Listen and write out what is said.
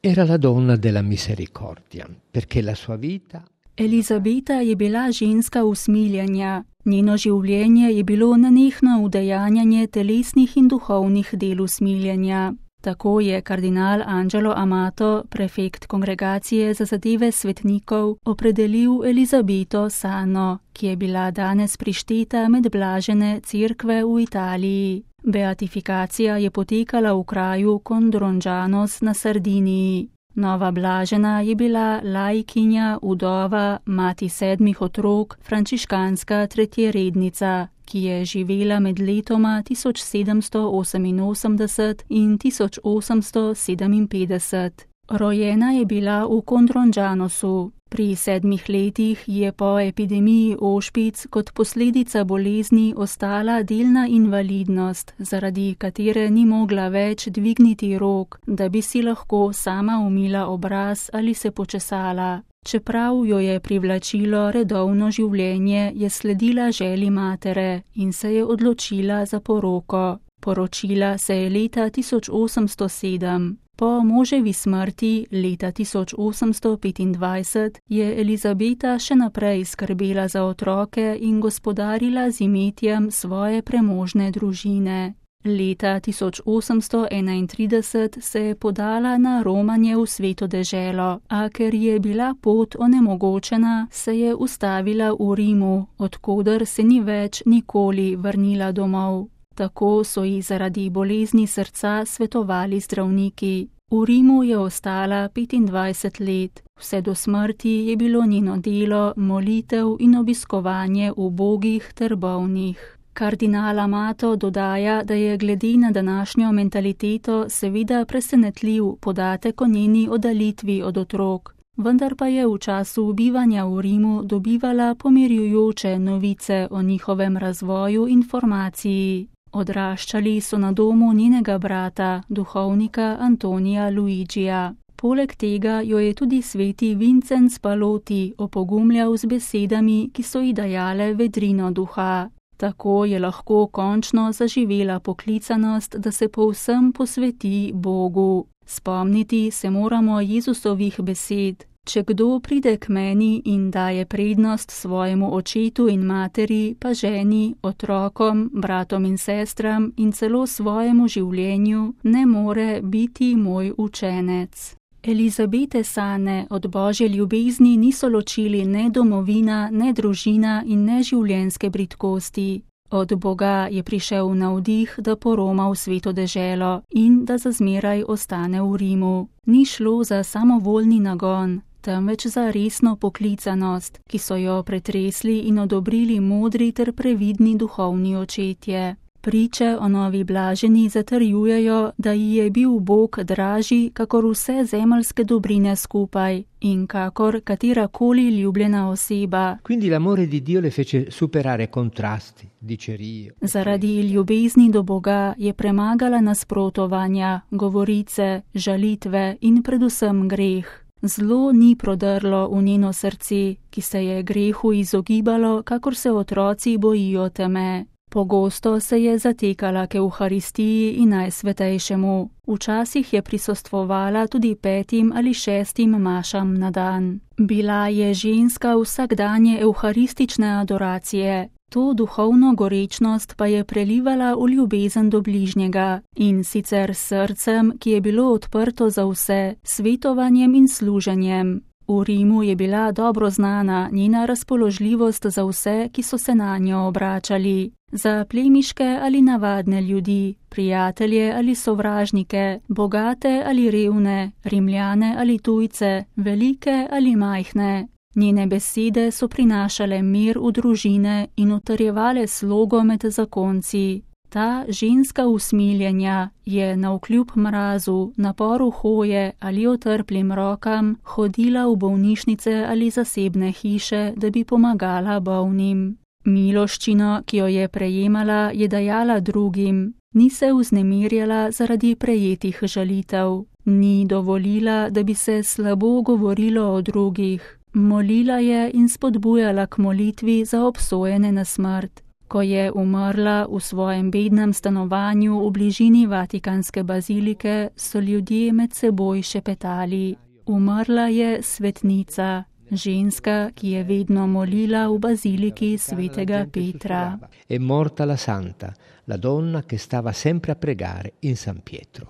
Era la donna della misericordia, perché la sua vita... Elizabeta je bila ženska usmiljenja. Njeno življenje je bilo nenehno udejanjanje telesnih in duhovnih del usmiljenja. Tako je kardinal Angelo Amato, prefekt Kongregacije za zadeve svetnikov, opredelil Elizabeto Sano, ki je bila danes prišteta med blažene cerkve v Italiji. Beatifikacija je potekala v kraju Condrongianos na Sardiniji. Nova blažena je bila laikinja, vdova, mati 7 otrok, frančiškanska tretjerednica, ki je živela med letoma 1788 in 1857. Rojena je bila v Condrongianosu. Pri 7 letih je po epidemiji ošpic kot posledica bolezni ostala delna invalidnost, zaradi katere ni mogla več dvigniti rok, da bi si lahko sama umila obraz ali se počesala. Čeprav jo je privlačilo redovno življenje, je sledila želji matere in se je odločila za poroko. Poročila se je leta 1807. Po moževi smrti leta 1825 je Elizabeta še naprej skrbela za otroke in gospodarila z imetjem svoje premožne družine. Leta 1831 se je podala na romanje v Sveto deželo, a ker je bila pot onemogočena, se je ustavila v Rimu, odkoder se ni več nikoli vrnila domov. Tako so ji zaradi bolezni srca svetovali zdravniki. V Rimu je ostala 25 let. Vse do smrti je bilo njeno delo molitev in obiskovanje ubogih ter bolnih. Kardinal Amato dodaja, da je glede na današnjo mentaliteto seveda presenetljiv podatek o njeni oddaljitvi od otrok. Vendar pa je v času bivanja v Rimu dobivala pomirjujoče novice o njihovem razvoju in formaciji. Odraščali so na domu njenega brata, duhovnika Antonija Luigija. Poleg tega jo je tudi sveti Vincenc Paloti opogumljal z besedami, ki so ji dajale vedrino duha. Tako je lahko končno zaživela poklicanost, da se povsem posveti Bogu. Spomniti se moramo Jezusovih besed: če kdo pride k meni in daje prednost svojemu očetu in materi, pa ženi, otrokom, bratom in sestram in celo svojemu življenju, ne more biti moj učenec. Elizabete Sane od Božje ljubezni niso ločili ne domovina, ne družina in ne življenjske bridkosti. Od Boga je prišel navdih, da poroma v Sveto deželo in da za zmeraj ostane v Rimu. Ni šlo za samovoljni nagon, temveč za resno poklicanost, ki so jo pretresli in odobrili modri ter previdni duhovni očetje. Priče o novi blaženi zatrjujejo, da ji je bil Bog dražji kakor vse zemeljske dobrine skupaj in kakor katerakoli ljubljena oseba. Quindi l'amore di Dio le fece superare contrasti, dicerie. Zaradi ljubezni do Boga je premagala nasprotovanja, govorice, žalitve in predvsem greh. Zlo ni prodrlo v njeno srce, ki se je grehu izogibalo, kakor se otroci bojijo teme. Pogosto se je zatekala k Evharistiji in Najsvetejšemu. Včasih je prisostvovala tudi 5 ali 6 mašam na dan. Bila je ženska vsakdanje evharistične adoracije. To duhovno gorečnost pa je prelivala v ljubezen do bližnjega, in sicer s srcem, ki je bilo odprto za vse, svetovanjem in služenjem. V Rimu je bila dobro znana njena razpoložljivost za vse, ki so se nanjo obračali. Za plemiške ali navadne ljudi, prijatelje ali sovražnike, bogate ali revne, Rimljane ali tujce, velike ali majhne. Njene besede so prinašale mir v družine in utrjevale slogo med zakonci. Ta ženska usmiljenja je navkljub mrazu, naporu hoje ali otrplim rokam hodila v bolnišnice ali zasebne hiše, da bi pomagala bolnim. Miloščino, ki jo je prejemala, je dajala drugim. Ni se vznemirjala zaradi prejetih žalitev. Ni dovolila, da bi se slabo govorilo o drugih. Molila je in spodbujala k molitvi za obsojene na smrt. Ko je umrla v svojem bednem stanovanju v bližini Vatikanske bazilike, so ljudje med seboj šepetali: umrla je svetnica, ženska, ki je vedno molila v baziliki svetega Petra. È morta la santa, la donna che stava sempre a pregare in San Pietro.